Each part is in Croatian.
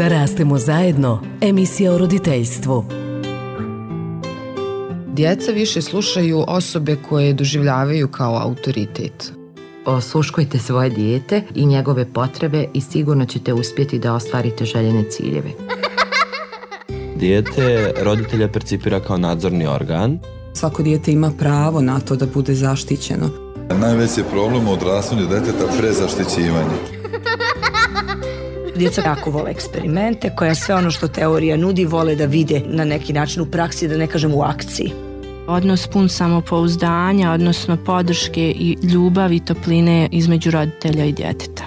Da rastemo zajedno, emisija o roditeljstvu. Djeca više slušaju osobe koje doživljavaju kao autoritet. Osluškujte svoje dijete i njegove potrebe i sigurno ćete uspjeti da ostvarite željene ciljeve. Dijete roditelja percipira kao nadzorni organ. Svako dijete ima pravo na to da bude zaštićeno. Najveći problem u odrastanju djeteta prezaštićivanje. Djeca jako vole eksperimente, koja sve ono što teorija nudi vole da vide na neki način u praksi, da ne kažem u akciji. Odnos pun samopouzdanja, odnosno podrške i ljubavi i topline između roditelja i djeteta.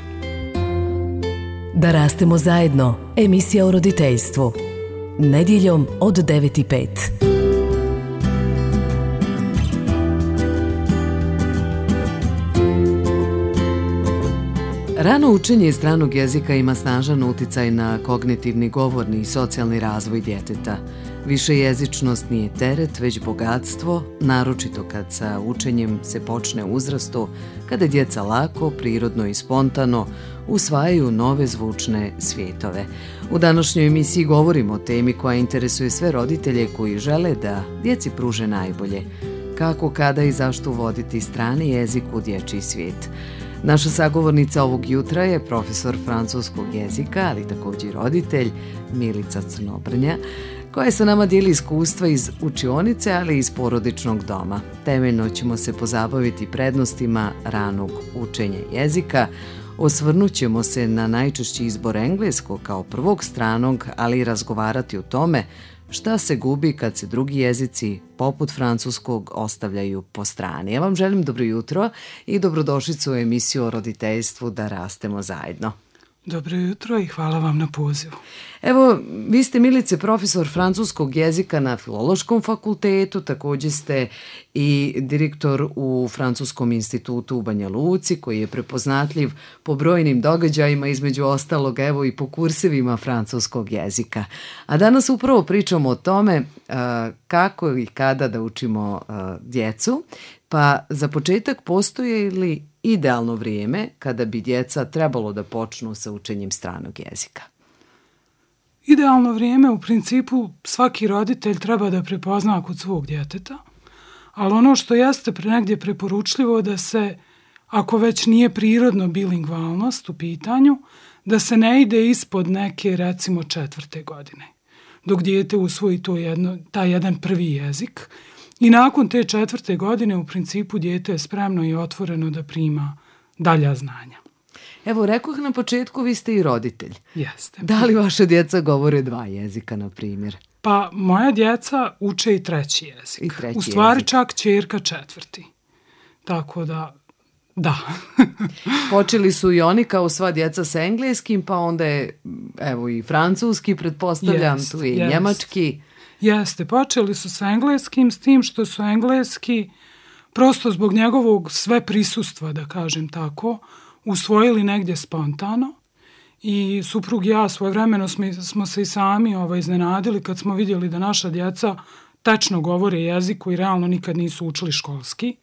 Da rastemo zajedno, emisija o roditeljstvu. Nedjeljom od 9:05. Rano učenje stranog jezika ima snažan uticaj na kognitivni, govorni i socijalni razvoj djeteta. Višejezičnost nije teret, već bogatstvo, naročito kad sa učenjem se počne u uzrastu, kada djeca lako, prirodno i spontano usvajaju nove zvučne svijetove. U današnjoj emisiji govorimo o temi koja interesuje sve roditelje koji žele da djeci pruže najbolje. Kako, kada i zašto uvoditi strani jezik u dječji svijet. Naša sagovornica ovog jutra je profesor francuskog jezika, ali također i roditelj, Milica Crnobrnja, koja sa nama dijeli iskustva iz učionice, ali i iz porodičnog doma. Temeljno ćemo se pozabaviti prednostima ranog učenja jezika, osvrnut ćemo se na najčešći izbor engleskog kao prvog stranog, ali i razgovarati o tome šta se gubi kad se drugi jezici, poput francuskog, ostavljaju po strani. Ja vam želim dobro jutro i dobrodošlicu u emisiju o roditeljstvu Da rastemo zajedno. Dobro jutro i hvala vam na pozivu. Evo, vi ste, Milice, profesor francuskog jezika na Filološkom fakultetu, također ste i direktor u Francuskom institutu u Banja Luci, koji je prepoznatljiv po brojnim događajima, između ostalog, evo, i po kursevima francuskog jezika. A danas upravo pričamo o tome kako i kada da učimo djecu, pa za početak postoje li idealno vrijeme kada bi djeca trebalo da počnu sa učenjem stranog jezika? Idealno vrijeme u principu svaki roditelj treba da prepozna kod svog djeteta, ali ono što jeste negdje preporučljivo da se, ako već nije prirodno bilingvalnost u pitanju, da se ne ide ispod neke, recimo, 4. godine, dok dijete usvoji taj jedan prvi jezik. I nakon te 4. godine u principu dijete je spremno i otvoreno da prima dalja znanja. Evo, rekoh na početku, vi ste i roditelj. Jeste. Da li vaša djeca govore 2 jezika, na primjer? Pa moja djeca uče i 3. jezik. U stvari čak ćerka 4. Tako da. Počeli su i oni kao sva djeca sa engleskim, pa onda je, evo, i francuski, pretpostavljam, tu je i njemački. Jeste, počeli su sa engleskim, s tim što su engleski, prosto zbog njegovog sve prisustva, da kažem tako, usvojili negdje spontano. I suprug i ja svojevremeno smo se i sami iznenadili kad smo vidjeli da naša djeca tečno govore jezik koji realno nikad nisu učili školski.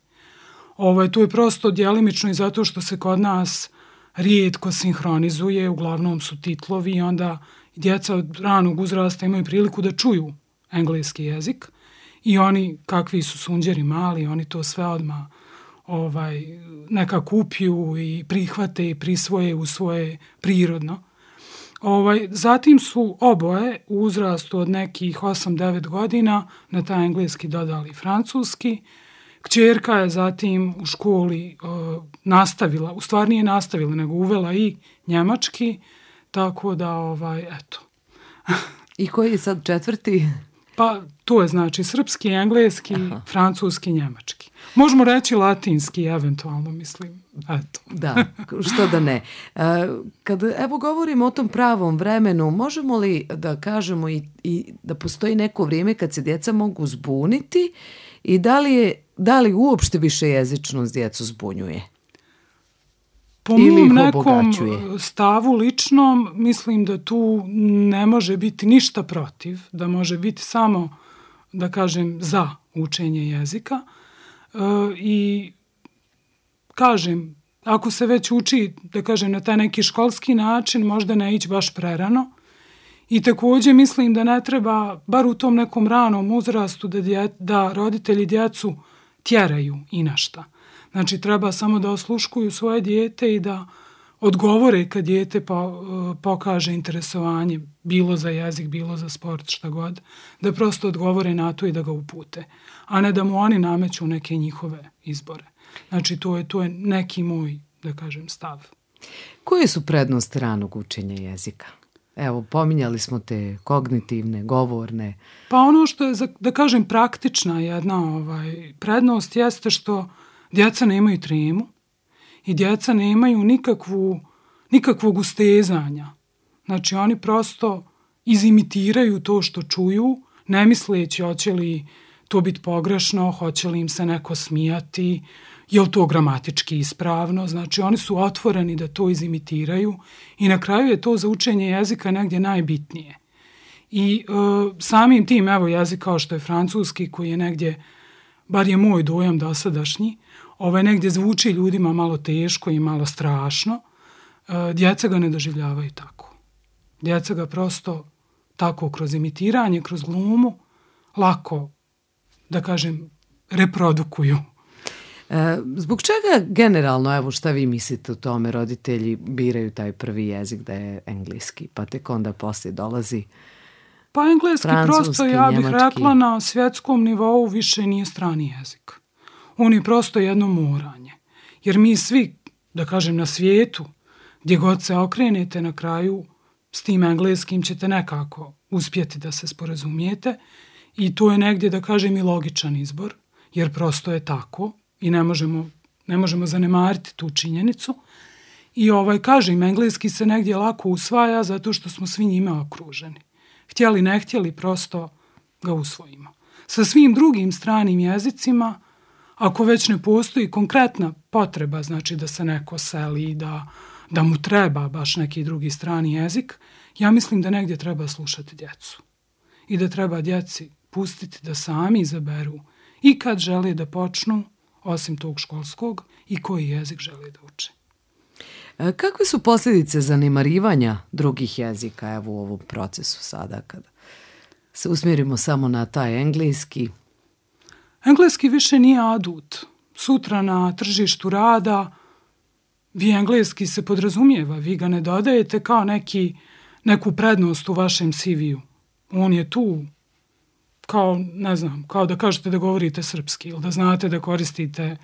Tu je prosto djelimično i zato što se kod nas rijetko sinhronizuje, uglavnom su titlovi i onda djeca od ranog uzrasta imaju priliku da čuju engleski jezik i oni, kakvi su sunđeri mali, oni to sve odmah nekako upiju i prihvate i prisvoje u svoje prirodno. Zatim su oboje u uzrastu od nekih 8-9 godina na taj engleski dodali francuski. Kćerka je zatim u školi nastavila, u stvari nije nastavila, nego uvela i njemački, tako da, eto. I koji je sad 4? Pa to je znači srpski, engleski, francuski, njemački. Možemo reći latinski, eventualno, mislim. Eto. Da, što da ne. Kad evo govorimo o tom pravom vremenu, možemo li da kažemo i da postoji neko vrijeme kad se djeca mogu zbuniti i da li uopšte višejezičnost djecu zbunjuje? Po mom nekom stavu ličnom mislim da tu ne može biti ništa protiv, da može biti samo, da kažem, za učenje jezika. I kažem, ako se već uči, da kažem, na taj neki školski način, možda ne ići baš prerano I također mislim da ne treba, bar u tom nekom ranom uzrastu, da roditelji djecu tjeraju i na šta. Znači, treba samo da osluškuju svoje dijete i da odgovore kad dijete pokaže interesovanje, bilo za jezik, bilo za sport, šta god, da prosto odgovore na to i da ga upute, a ne da mu oni nameću neke njihove izbore. Znači, to je neki moj, da kažem, stav. Koje su prednosti ranog učenja jezika? Evo, pominjali smo te kognitivne, govorne. Pa ono što je, da kažem, praktična jedna prednost jeste što djeca nemaju tremu i djeca nemaju nikakvog ustezanja. Znači, oni prosto izimitiraju to što čuju, ne misleći hoće li to biti pogrešno, hoće li im se neko smijati, je li to gramatički ispravno. Znači, oni su otvoreni da to izimitiraju i na kraju je to za učenje jezika negdje najbitnije. I samim tim, evo, jezik kao što je francuski, koji je negdje, bar je moj dojam dosadašnji, negdje zvuči ljudima malo teško i malo strašno, djeca ga ne doživljavaju tako. Djeca ga prosto tako kroz imitiranje, kroz glumu, lako, da kažem, reprodukuju. Zbog čega generalno, evo šta vi mislite o tome, roditelji biraju taj prvi jezik da je engleski, pa tek onda poslije dolazi pa engleski prosto, ja bih rekla, na svjetskom nivou više nije strani jezik. On je prosto jedno moranje. Jer mi svi, da kažem, na svijetu, gdje god se okrenete na kraju, s tim engleskim ćete nekako uspjeti da se sporazumijete i to je negdje, da kažem, i logičan izbor, jer prosto je tako i ne možemo zanemariti tu činjenicu. I kažem, engleski se negdje lako usvaja zato što smo svi njime okruženi. Htjeli, ne htjeli, prosto ga usvojimo. Sa svim drugim stranim jezicima, ako već ne postoji konkretna potreba, znači da se neko seli, da mu treba baš neki drugi strani jezik, ja mislim da negdje treba slušati djecu. I da treba djeci pustiti da sami izaberu i kad žele da počnu, osim tog školskog, i koji jezik žele da uče. Kakve su posljedice zanemarivanja drugih jezika, evo u ovom procesu sada, kada se usmjerimo samo na taj engleski? Engleski više nije adut. Sutra na tržištu rada vi engleski se podrazumijeva, vi ga ne dodajete kao neku prednost u vašem CV-u. On je tu kao, ne znam, kao da kažete da govorite srpski ili da znate da koristite,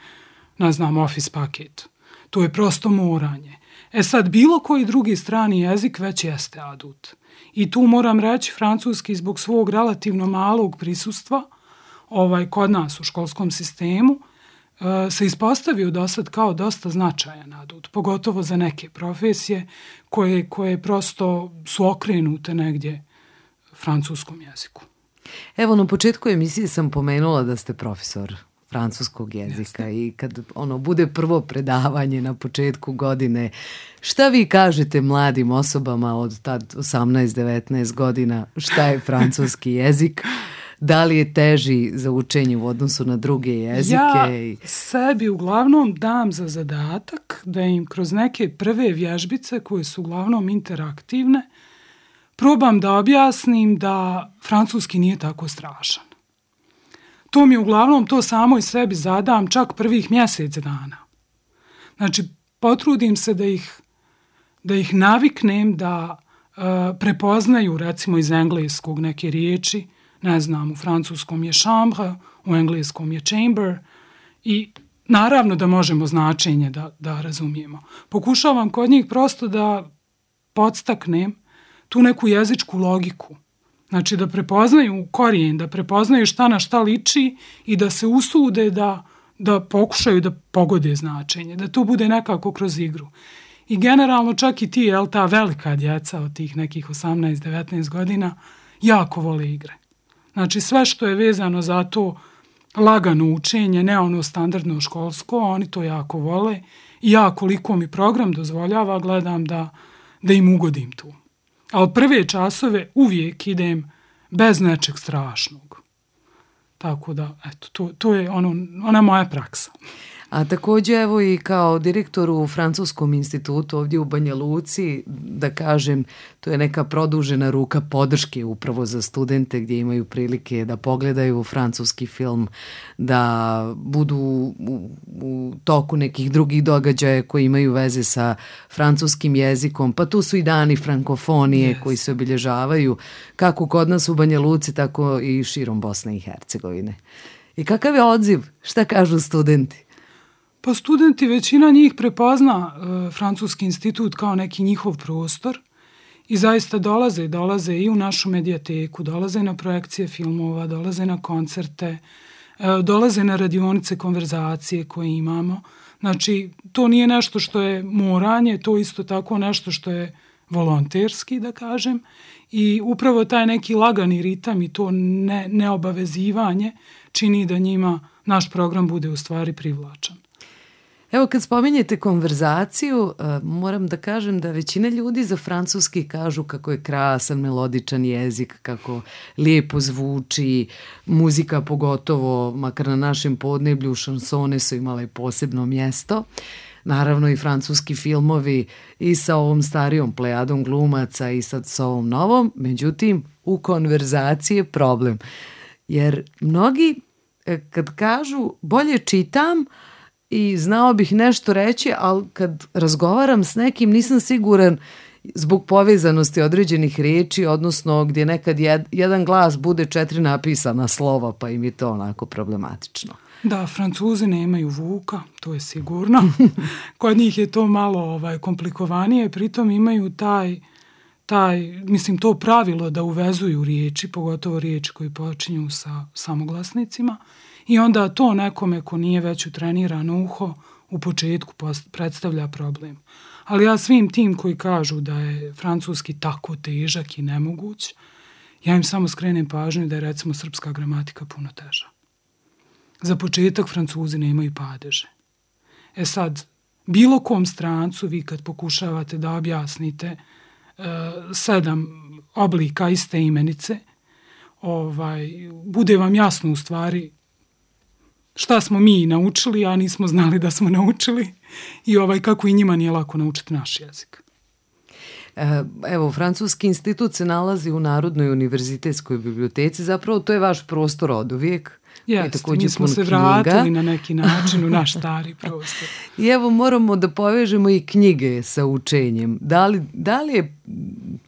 ne znam, Office paket. To je prosto moranje. Sad, bilo koji drugi strani jezik već jeste adut. I tu moram reći, francuski zbog svog relativno malog prisustva kod nas u školskom sistemu se ispostavio do sad kao dosta značajan adut, pogotovo za neke profesije koje prosto su okrenute negdje francuskom jeziku. Evo, na početku emisije sam pomenula da ste profesor francuskog jezika. Jeste. I kad bude prvo predavanje na početku godine, šta vi kažete mladim osobama od tad 18-19 godina, šta je francuski jezik? Da li je teži za učenje u odnosu na druge jezike? Ja sebi uglavnom dam za zadatak da im kroz neke prve vježbice koje su uglavnom interaktivne probam da objasnim da francuski nije tako strašan. To mi uglavnom to samo i sebi zadam čak prvih mjesec dana. Znači, potrudim se da ih naviknem da prepoznaju, recimo iz engleskog neke riječi, ne znam, u francuskom je chambre, u engleskom je chamber i naravno da možemo značenje da razumijemo. Pokušavam kod njih prosto da podstaknem tu neku jezičku logiku. Znači da prepoznaju korijen, da prepoznaju šta na šta liči i da se usude da pokušaju da pogode značenje, da to bude nekako kroz igru. I generalno čak i ta velika djeca od tih nekih 18-19 godina jako vole igre. Znači sve što je vezano za to lagano učenje, ne ono standardno školsko, oni to jako vole i ja koliko mi program dozvoljava gledam da im ugodim tu. Ali prve časove uvijek idem bez nečeg strašnog. Tako da, eto, to je ona moja praksa. A također evo i kao direktor u Francuskom institutu ovdje u Banja Luci, da kažem, to je neka produžena ruka podrške upravo za studente gdje imaju prilike da pogledaju francuski film, da budu u toku nekih drugih događaja koji imaju veze sa francuskim jezikom, pa tu su i dani frankofonije koji se obilježavaju kako kod nas u Banja Luci, tako i širom Bosne i Hercegovine. I kakav je odziv? Šta kažu studenti? Pa studenti, većina njih prepozna Francuski institut kao neki njihov prostor i zaista dolaze i u našu medijateku, dolaze na projekcije filmova, dolaze na koncerte, dolaze na radionice konverzacije koje imamo. Znači, to nije nešto što je moranje, to isto tako nešto što je volonterski, da kažem, i upravo taj neki lagani ritam i to neobavezivanje čini da njima naš program bude u stvari privlačan. Evo kad spominjete konverzaciju, moram da kažem da većina ljudi za francuski kažu kako je krasan, melodičan jezik, kako lijepo zvuči, muzika pogotovo, makar na našem podneblju, šansone su imale posebno mjesto. Naravno i francuski filmovi i sa ovom starijom plejadom glumaca i sad sa ovom novom, međutim u konverzaciji je problem. Jer mnogi kad kažu bolje čitam i znao bih nešto reći, ali kad razgovaram s nekim nisam siguran zbog povezanosti određenih riječi, odnosno gdje nekad jedan glas bude 4 napisana slova, pa im je to onako problematično. Da, Francuzi nemaju Vuka, to je sigurno. Kod njih je to malo komplikovanije, pritom imaju to pravilo da uvezuju riječi, pogotovo riječi koji počinju sa samoglasnicima, i onda to nekome ko nije već utrenirano uho u početku predstavlja problem. Ali ja svim tim koji kažu da je francuski tako težak i nemoguć, ja im samo skrenem pažnju da je recimo srpska gramatika puno teža. Za početak Francuzi nemaju padeže. Sad, bilo kom strancu vi kad pokušavate da objasnite 7 oblika iste imenice, bude vam jasno u stvari šta smo mi naučili, a nismo znali da smo naučili, i kako i njima nije lako naučiti naš jezik. Evo, Francuski institut se nalazi u Narodnoj univerzitetskoj biblioteci, zapravo to je vaš prostor od uvijek. Jeste, mi smo se vratili na neki način u naš stari prostor. I evo moramo da povežemo i knjige sa učenjem. Da li je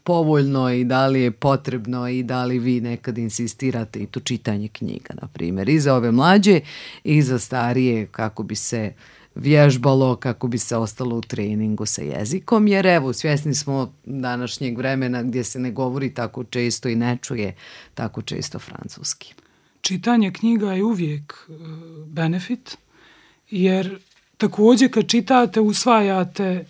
povoljno i da li je potrebno i da li vi nekad insistirate i to čitanje knjiga, na primjer, i za ove mlađe i za starije, kako bi se vježbalo, kako bi se ostalo u treningu sa jezikom, jer evo, svjesni smo današnjeg vremena gdje se ne govori tako često i ne čuje tako često francuski. Čitanje knjiga je uvijek benefit, jer također kad čitate usvajate,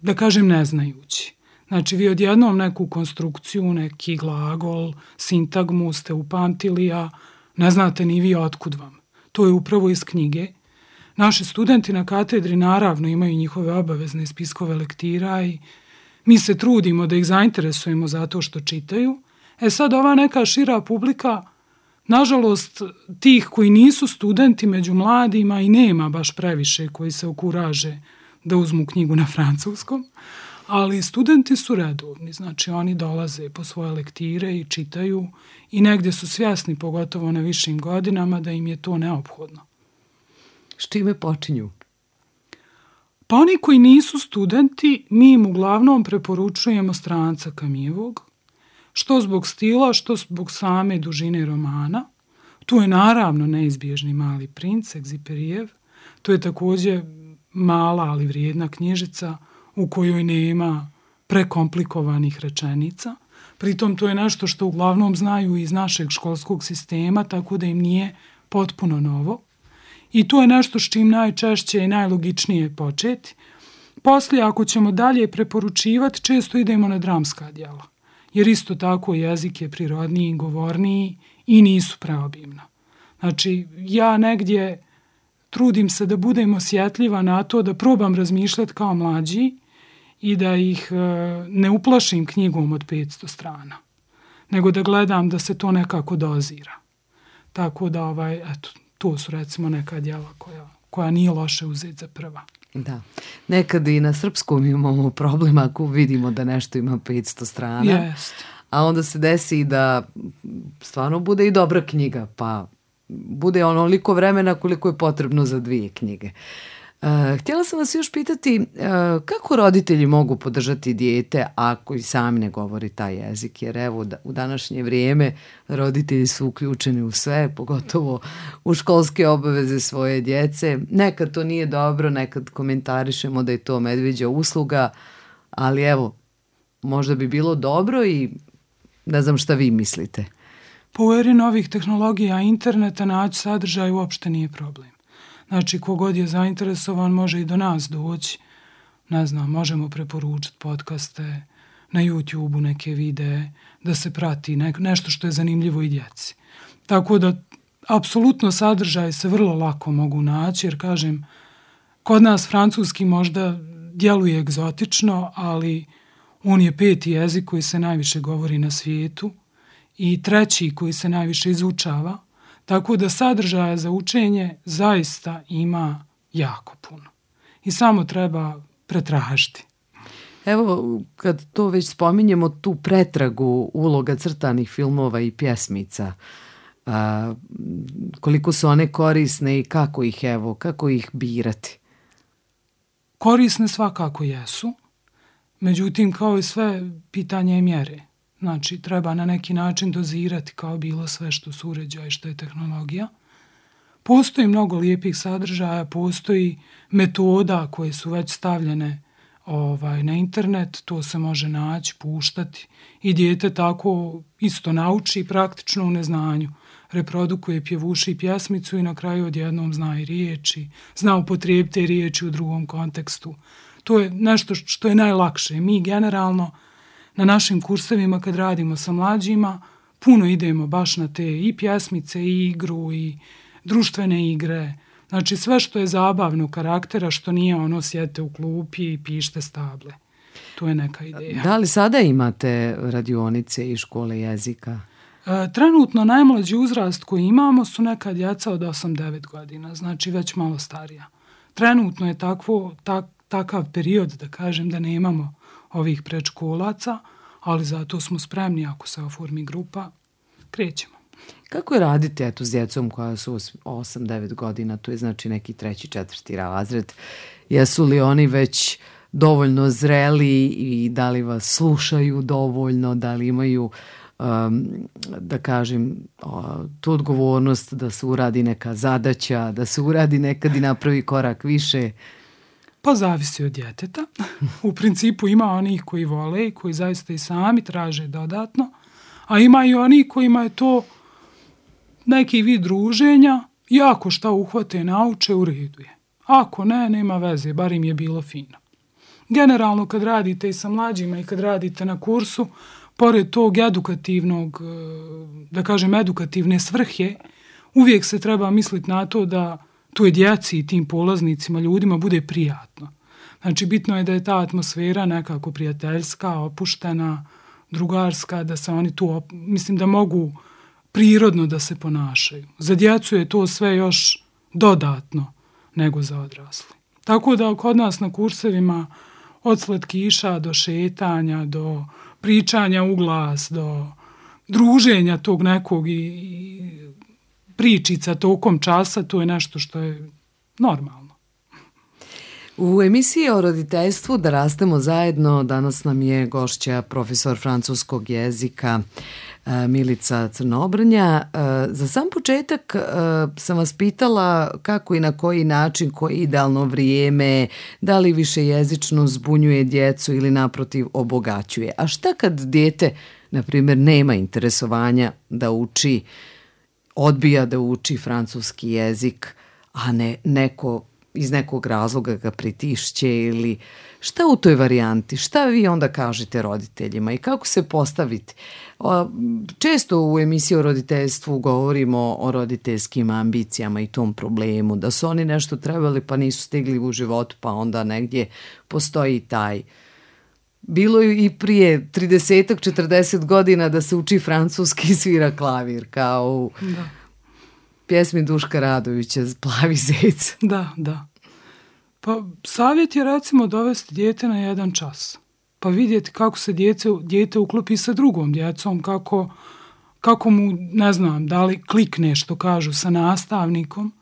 da kažem, ne znajući. Znači vi odjednom neku konstrukciju, neki glagol, sintagmu ste upamtili, a ne znate ni vi otkud vam. To je upravo iz knjige. Naši studenti na katedri naravno imaju njihove obavezne spiskove lektira i mi se trudimo da ih zainteresujemo zato što čitaju. Sad ova neka šira publika, nažalost, tih koji nisu studenti među mladima i nema baš previše koji se okuraže da uzmu knjigu na francuskom, ali studenti su redovni, znači oni dolaze po svoje lektire i čitaju i negdje su svjesni, pogotovo na višim godinama, da im je to neophodno. S čime počinju? Pa oni koji nisu studenti, mi im uglavnom preporučujemo stranca Camusevog, što zbog stila, što zbog same dužine romana. Tu je naravno neizbježni Mali princ, Egziperijev. To je također mala, ali vrijedna knjižica u kojoj nema prekomplikovanih rečenica. Pritom to je nešto što uglavnom znaju iz našeg školskog sistema, tako da im nije potpuno novo. I to je nešto s čim najčešće i najlogičnije početi. Poslije, ako ćemo dalje preporučivati, često idemo na dramska djela. Jer isto tako jezik je prirodniji, govorniji i nisu preobimna. Znači, ja negdje trudim se da budem osjetljiva na to, da probam razmišljati kao mlađi i da ih ne uplašim knjigom od 500 strana, nego da gledam da se to nekako dozira. Tako da, to su recimo neka djela koja nije loše uzeti za prva. Da. Nekad i na srpskom imamo problem ako vidimo da nešto ima 500 strana. Jest. A onda se desi da stvarno bude i dobra knjiga, pa bude onoliko vremena koliko je potrebno za 2 knjige. Htjela sam vas još pitati kako roditelji mogu podržati dijete ako i sami ne govori taj jezik, jer evo u današnje vrijeme roditelji su uključeni u sve, pogotovo u školske obaveze svoje djece. Nekad to nije dobro, nekad komentarišemo da je to medvjeđa usluga, ali evo, možda bi bilo dobro i ne znam šta vi mislite. Po eri novih tehnologija interneta naći sadržaj uopšte nije problem. Znači, kogod je zainteresovan može i do nas doći. Ne znam, možemo preporučiti podcaste, na YouTube-u neke videe, da se prati nešto što je zanimljivo i djeci. Tako da, apsolutno sadržaj se vrlo lako mogu naći, jer kažem, kod nas francuski možda djeluje egzotično, ali on je 5. jezik koji se najviše govori na svijetu i 3. koji se najviše izučava. Tako da sadržaja za učenje zaista ima jako puno. I samo treba pretražiti. Evo, kad to već spominjemo, tu pretragu uloga crtanih filmova i pjesmica, koliko su one korisne i kako ih birati? Korisne svakako jesu. Međutim, kao i sve, pitanje je mjere. Znači, treba na neki način dozirati kao bilo sve što su uređaji, što je tehnologija. Postoji mnogo lijepih sadržaja, postoji metoda koje su već stavljene na internet, to se može naći, puštati i dijete tako isto nauči praktično u neznanju. Reprodukuje pjevuši i pjesmicu i na kraju odjednom zna i riječi, zna upotrijebiti riječi u drugom kontekstu. To je nešto što je najlakše. Mi generalno na našim kursevima kad radimo sa mlađima puno idemo baš na te i pjesmice i igru i društvene igre. Znači sve što je zabavno karaktera, što nije ono sjedite u klupi i pište stable. To je neka ideja. Da li sada imate radionice i škole jezika? Trenutno najmlađi uzrast koji imamo su neka djeca od 8-9 godina, znači već malo starija. Trenutno je takav period, da kažem, da nemamo ovih predškolaca, ali zato smo spremni ako se oformi grupa, krećemo. Kako je raditi s djecom koja su 8-9 godina, to je znači neki 3. 4. razred? Jesu li oni već dovoljno zreli i da li vas slušaju dovoljno, da li imaju, da kažem, tu odgovornost da se uradi neka zadaća, da se uradi nekad i napravi korak više? Pa zavisi od djeteta. U principu ima onih koji vole i koji zaista i sami traže dodatno, a ima i onih kojima je to neki vid druženja i ako šta uhvate nauče, u redu je. Ako ne, nema veze, bar im je bilo fino. Generalno kad radite i sa mlađima i kad radite na kursu, pored tog edukativnog, da kažem edukativne svrhe, uvijek se treba misliti na to da toj djeci i tim polaznicima, ljudima bude prijatno. Znači, bitno je da je ta atmosfera nekako prijateljska, opuštena, drugarska, da se oni tu, mislim da mogu prirodno da se ponašaju. Za djecu je to sve još dodatno nego za odrasli. Tako da kod nas na kursevima od slatkiša do šetanja, do pričanja u glas, do druženja tog nekog i pričica tokom časa, to je nešto što je normalno. U emisiji o roditeljstvu Da rastemo zajedno danas nam je gošća profesor francuskog jezika Milica Crnobrnja. Za sam početak sam vas pitala kako i na koji način, koje idealno vrijeme, da li više jezično zbunjuje djecu ili naprotiv obogaćuje. A šta kad dijete, na primjer, nema interesovanja da uči, odbija da uči francuski jezik, a ne neko iz nekog razloga ga pritišće ili šta u toj varijanti? Šta vi onda kažete roditeljima i kako se postaviti? Često u emisiji o roditeljstvu govorimo o roditeljskim ambicijama i tom problemu, da su oni nešto trebali pa nisu stigli u životu, pa onda negdje postoji taj. Bilo je i prije 30-40 godina da se uči francuski i svira klavir, kao pjesmi Duška Radovića, Plavi zec. Da. Pa savjet je recimo dovesti dijete na 1 čas. Pa vidjeti kako se dijete uklopi sa drugom djecom, kako mu, ne znam, da li klikne što kažu sa nastavnikom,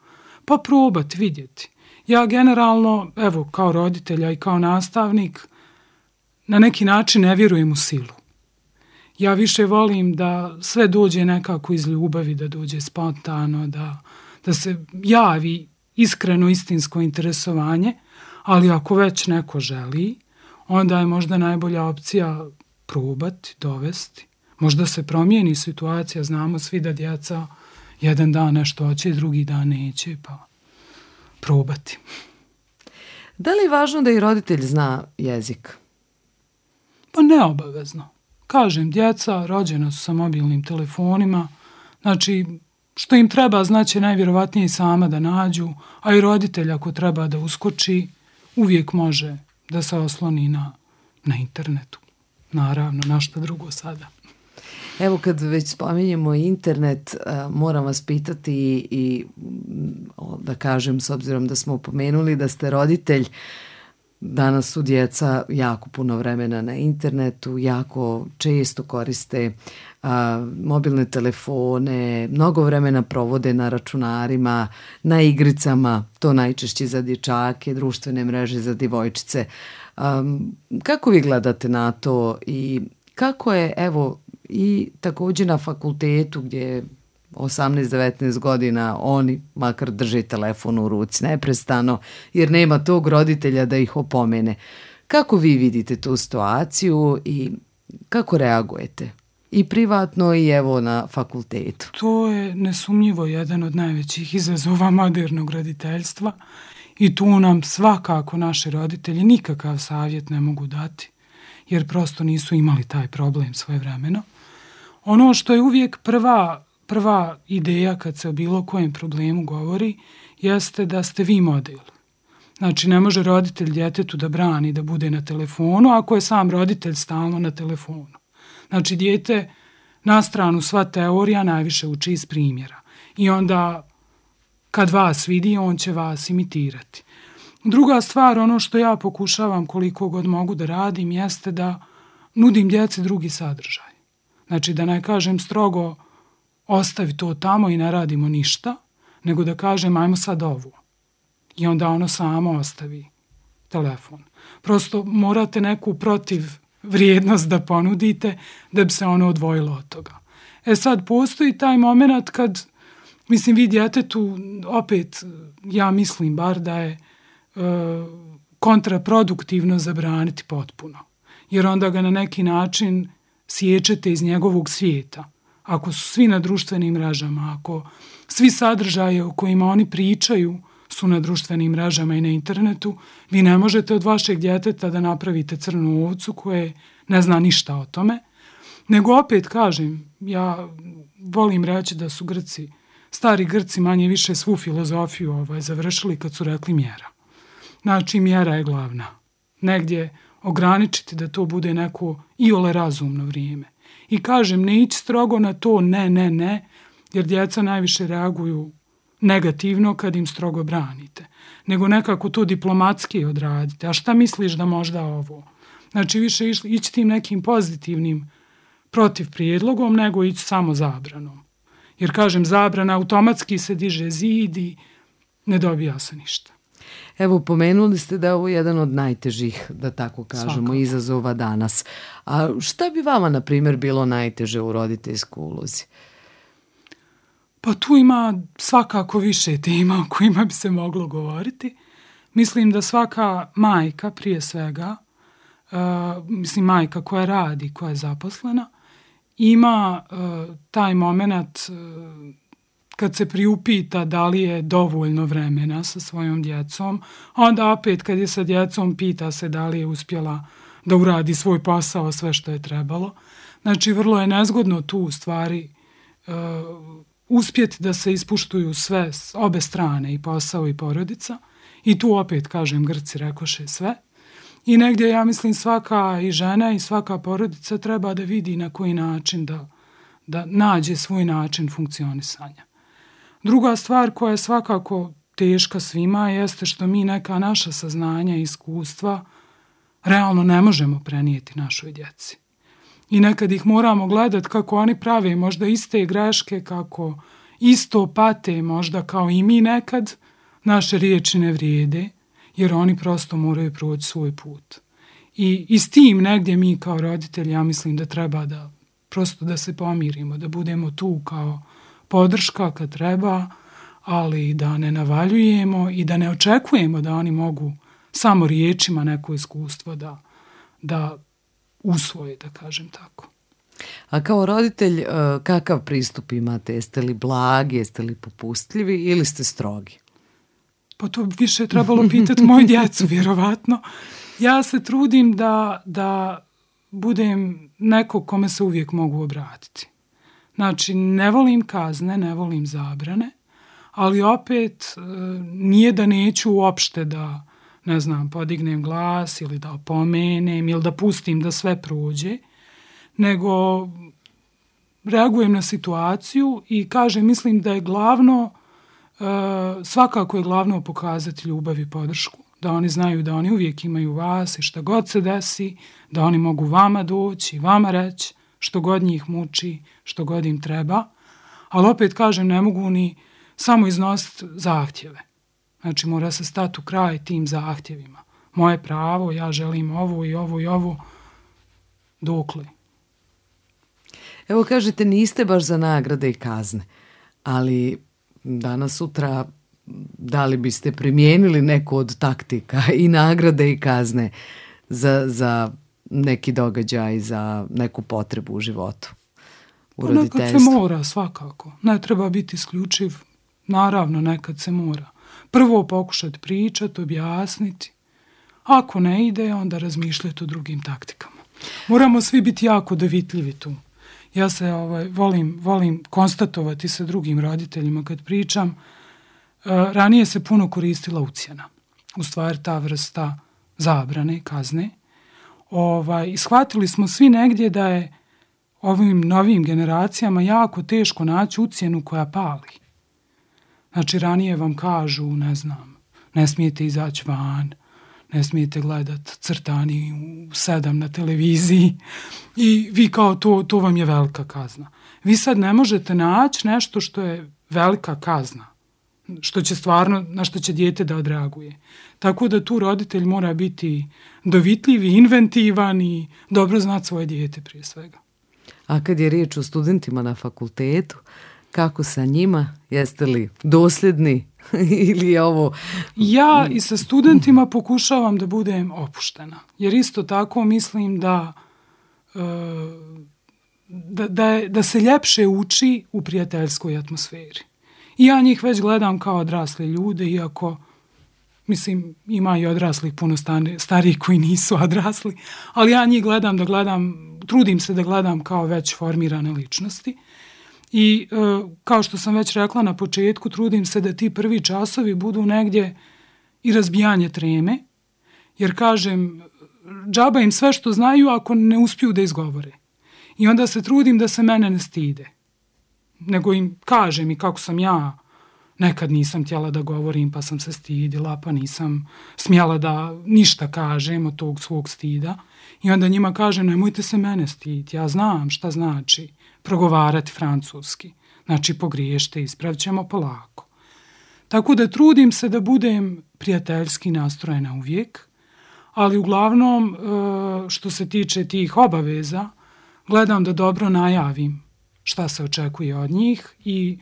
pa probati vidjeti. Ja generalno, evo, kao roditelja i kao nastavnik, na neki način ne vjerujem u silu. Ja više volim da sve dođe nekako iz ljubavi, da dođe spontano, da se javi iskreno, istinsko interesovanje, ali ako već neko želi, onda je možda najbolja opcija probati, dovesti. Možda se promijeni situacija, znamo svi da djeca jedan dan nešto hoće, drugi dan neće, pa probati. Da li je važno da i roditelj zna jezik? Pa neobavezno. Kažem, djeca rođena su sa mobilnim telefonima, znači što im treba znaće najvjerovatnije i sama da nađu, a i roditelj ako treba da uskoči, uvijek može da se osloni na internetu. Naravno, na što drugo sada. Evo kad već spominjemo internet, moram vas pitati i da kažem, s obzirom da smo pomenuli da ste roditelj, danas su djeca jako puno vremena na internetu, jako često koriste mobilne telefone, mnogo vremena provode na računarima, na igricama, to najčešće za dječake, društvene mreže za djevojčice. Kako vi gledate na to i kako je, evo, i također na fakultetu gdje 18-19 godina oni makar drže telefon u ruci neprestano jer nema tog roditelja da ih opomene. Kako vi vidite tu situaciju i kako reagujete? I privatno i evo na fakultetu. To je nesumnjivo jedan od najvećih izazova modernog roditeljstva i tu nam svakako naši roditelji nikakav savjet ne mogu dati jer prosto nisu imali taj problem svojevremeno. Ono što je uvijek prva ideja kad se o bilo kojem problemu govori jeste da ste vi model. Znači ne može roditelj djetetu da brani da bude na telefonu ako je sam roditelj stalno na telefonu. Znači dijete na stranu sva teorija najviše uči iz primjera i onda kad vas vidi on će vas imitirati. Druga stvar, ono što ja pokušavam koliko god mogu da radim jeste da nudim djeci drugi sadržaj. Znači da ne kažem strogo ostavi to tamo i ne radimo ništa, nego da kažem ajmo sad ovo. I onda ono samo ostavi telefon. Prosto morate neku protiv vrijednost da ponudite da bi se ono odvojilo od toga. Sad postoji taj moment kad, mislim, vi djetetu, opet ja mislim bar da je kontraproduktivno zabraniti potpuno. Jer onda ga na neki način siječete iz njegovog svijeta. Ako su svi na društvenim mrežama, ako svi sadržaje o kojima oni pričaju su na društvenim mrežama i na internetu, vi ne možete od vašeg djeteta da napravite crnu ovcu koje ne zna ništa o tome. Nego opet kažem, ja volim reći da su Grci, stari Grci manje više svu filozofiju završili kad su rekli mjera. Znači mjera je glavna. Negdje ograničiti da to bude neko iole razumno vrijeme. I kažem, ne ići strogo na to ne, jer djeca najviše reaguju negativno kad im strogo branite. Nego nekako to diplomatski odradite. A šta misliš da možda ovo? Znači više ići tim nekim pozitivnim protiv prijedlogom nego ići samo zabranom. Jer kažem, zabrana automatski se diže zid i ne dobija se ništa. Evo, pomenuli ste da je ovo jedan od najtežih, da tako kažemo, Svakako. izazova danas. A šta bi vama, na primjer, bilo najteže u roditeljskoj ulozi? Pa tu ima svakako više tema o kojima bi se moglo govoriti. Mislim da svaka majka, prije svega, majka koja radi, koja je zaposlena, ima taj moment kad se priupita da li je dovoljno vremena sa svojom djecom, a onda opet kad je sa djecom pita se da li je uspjela da uradi svoj posao, sve što je trebalo. Znači, vrlo je nezgodno tu u stvari uspjeti da se ispuštuju sve s obe strane, i posao i porodica. I tu opet, kažem, Grci rekoše sve. I negdje, ja mislim, svaka i žena i svaka porodica treba da vidi na koji način da nađe svoj način funkcionisanja. Druga stvar koja je svakako teška svima jeste što mi neka naša saznanja i iskustva realno ne možemo prenijeti našoj djeci. I nekad ih moramo gledati kako oni prave možda iste greške, kako isto pate možda kao i mi nekad, naše riječi ne vrijede, jer oni prosto moraju proći svoj put. I s tim negdje mi kao roditelji, ja mislim da treba da prosto da se pomirimo, da budemo tu kao podrška kad treba, ali da ne navaljujemo i da ne očekujemo da oni mogu samo riječima neko iskustvo da usvoje, da kažem tako. A kao roditelj, kakav pristup imate? Jeste li blagi, jeste li popustljivi ili ste strogi? Pa to više je trebalo pitati moju djecu, vjerovatno. Ja se trudim da budem neko kome se uvijek mogu obratiti. Znači, ne volim kazne, ne volim zabrane, ali opet nije da neću uopšte da, ne znam, podignem glas ili da opomenem ili da pustim da sve prođe, nego reagujem na situaciju i kažem, mislim da je glavno, svakako je glavno pokazati ljubav i podršku, da oni znaju da oni uvijek imaju vas i šta god se desi, da oni mogu vama doći, vama reći što god njih muči, što god im treba, ali opet kažem, ne mogu ni samo iznositi zahtjeve. Znači, mora se stati u kraj tim zahtjevima. Moje pravo, ja želim ovo i ovo i ovo, dokle. Evo kažete, niste baš za nagrade i kazne, ali danas sutra da li biste primijenili neku od taktika i nagrade i kazne za neki događaj, za neku potrebu u životu, u roditeljstvu? Nekad se mora, svakako. Ne treba biti isključiv. Naravno, nekad se mora. Prvo pokušati pričati, objasniti. Ako ne ide, onda razmišljati o drugim taktikama. Moramo svi biti jako dovitljivi tu. Ja se volim konstatovati sa drugim roditeljima kad pričam. Ranije se puno koristila ucjena. U stvari ta vrsta zabrane, kazne. I shvatili smo svi negdje da je ovim novim generacijama jako teško naći ucjenu koja pali. Znači, ranije vam kažu, ne znam, ne smijete izaći van, ne smijete gledati crtani u 7 na televiziji i vi kao to vam je velika kazna. Vi sad ne možete naći nešto što je velika kazna, što će stvarno, na što će dijete da odreaguje. Tako da tu roditelj mora biti dovitljiv i inventivan i dobro znati svoje dijete prije svega. A kad je riječ o studentima na fakultetu, kako sa njima? Jeste li dosljedni ili je ovo... Ja i sa studentima pokušavam da budem opuštena. Jer isto tako mislim da se ljepše uči u prijateljskoj atmosferi. I ja njih već gledam kao odrasle ljude, iako, mislim, ima i odraslih puno starijih koji nisu odrasli, ali ja njih trudim se da gledam kao već formirane ličnosti. I kao što sam već rekla na početku, trudim se da ti prvi časovi budu negdje i razbijanje treme, jer kažem, džaba im sve što znaju ako ne uspiju da izgovore. I onda se trudim da se mene ne stide, nego im kažem i kako sam ja, nekad nisam htjela da govorim pa sam se stidila, pa nisam smjela da ništa kažem od tog svog stida. I onda njima kažem, nemojte se mene stiditi, ja znam šta znači progovarati francuski. Znači, pogriješite, ispravit ćemo polako. Tako da trudim se da budem prijateljski nastrojena uvijek, ali uglavnom, što se tiče tih obaveza, gledam da dobro najavim šta se očekuje od njih i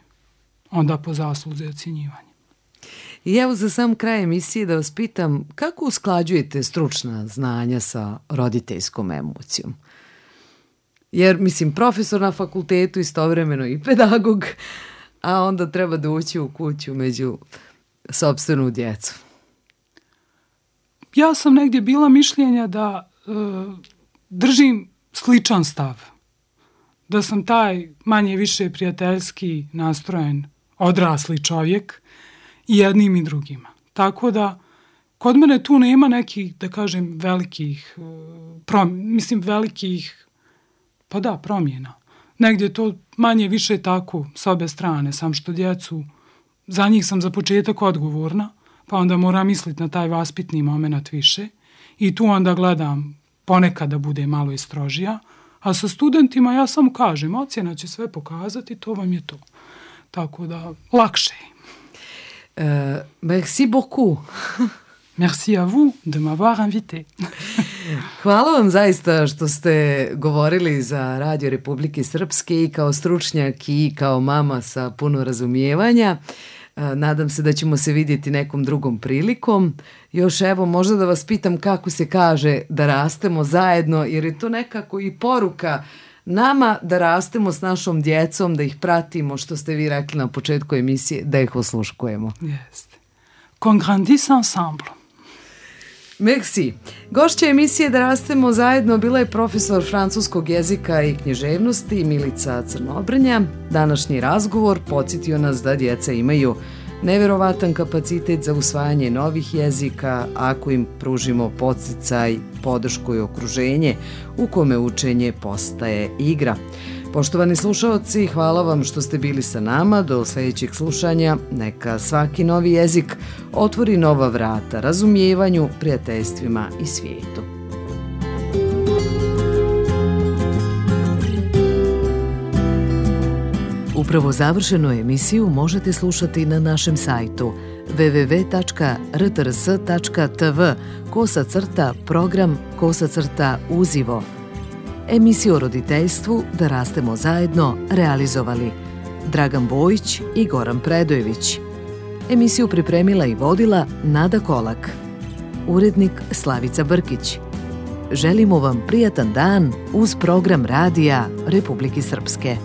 onda po zasluzi ocjenjivanje. I evo za sam kraj emisije da vas pitam, kako usklađujete stručna znanja sa roditeljskom emocijom? Jer, mislim, profesor na fakultetu, istovremeno i pedagog, a onda treba doći u kuću među sopstvenu djecu. Ja sam negdje bila mišljenja da držim sličan stav. Da sam taj manje više prijateljski nastrojen odrasli čovjek i jednim i drugima. Tako da kod mene tu nema nekih, da kažem, velikih promjena. Negdje to manje više tako s obe strane, sam što djecu za njih sam za početak odgovorna, pa onda moram misliti na taj vaspitni moment više i tu onda gledam ponekad da bude malo i strožija, a sa studentima ja samo kažem, ocjena će sve pokazati, to vam je to. Tako da, lakše je. Merci beaucoup. Merci à vous de m'avoir invité. Hvala vam zaista što ste govorili za Radio Republike Srpske i kao stručnjak i kao mama sa puno razumijevanja. Nadam se da ćemo se vidjeti nekom drugom prilikom. Još evo, možda da vas pitam kako se kaže da rastemo zajedno, jer je to nekako i poruka nama da rastemo s našom djecom, da ih pratimo, što ste vi rekli na početku emisije, da ih osluškujemo. Jeste. Qu'on grandisse ensemble. Merci. Gošća emisije Da rastemo zajedno bila je profesor francuskog jezika i književnosti Milica Crnobrnja. Današnji razgovor podsjetio nas da djeca imaju neverovatan kapacitet za usvajanje novih jezika ako im pružimo podsticaj, podršku i okruženje u kome učenje postaje igra. Poštovani slušaoci, hvala vam što ste bili sa nama. Do sljedećeg slušanja neka svaki novi jezik otvori nova vrata razumijevanju, prijateljstvima i svijetu. Upravo završenu emisiju možete slušati na našem sajtu www.rtrs.tv/program/uzivo. Emisiju o roditeljstvu Da rastemo zajedno realizovali Dragan Bojić i Goran Predojević. Emisiju pripremila i vodila Nada Kolak. Urednik Slavica Brkić. Želimo vam prijatan dan uz program Radija Republike Srpske.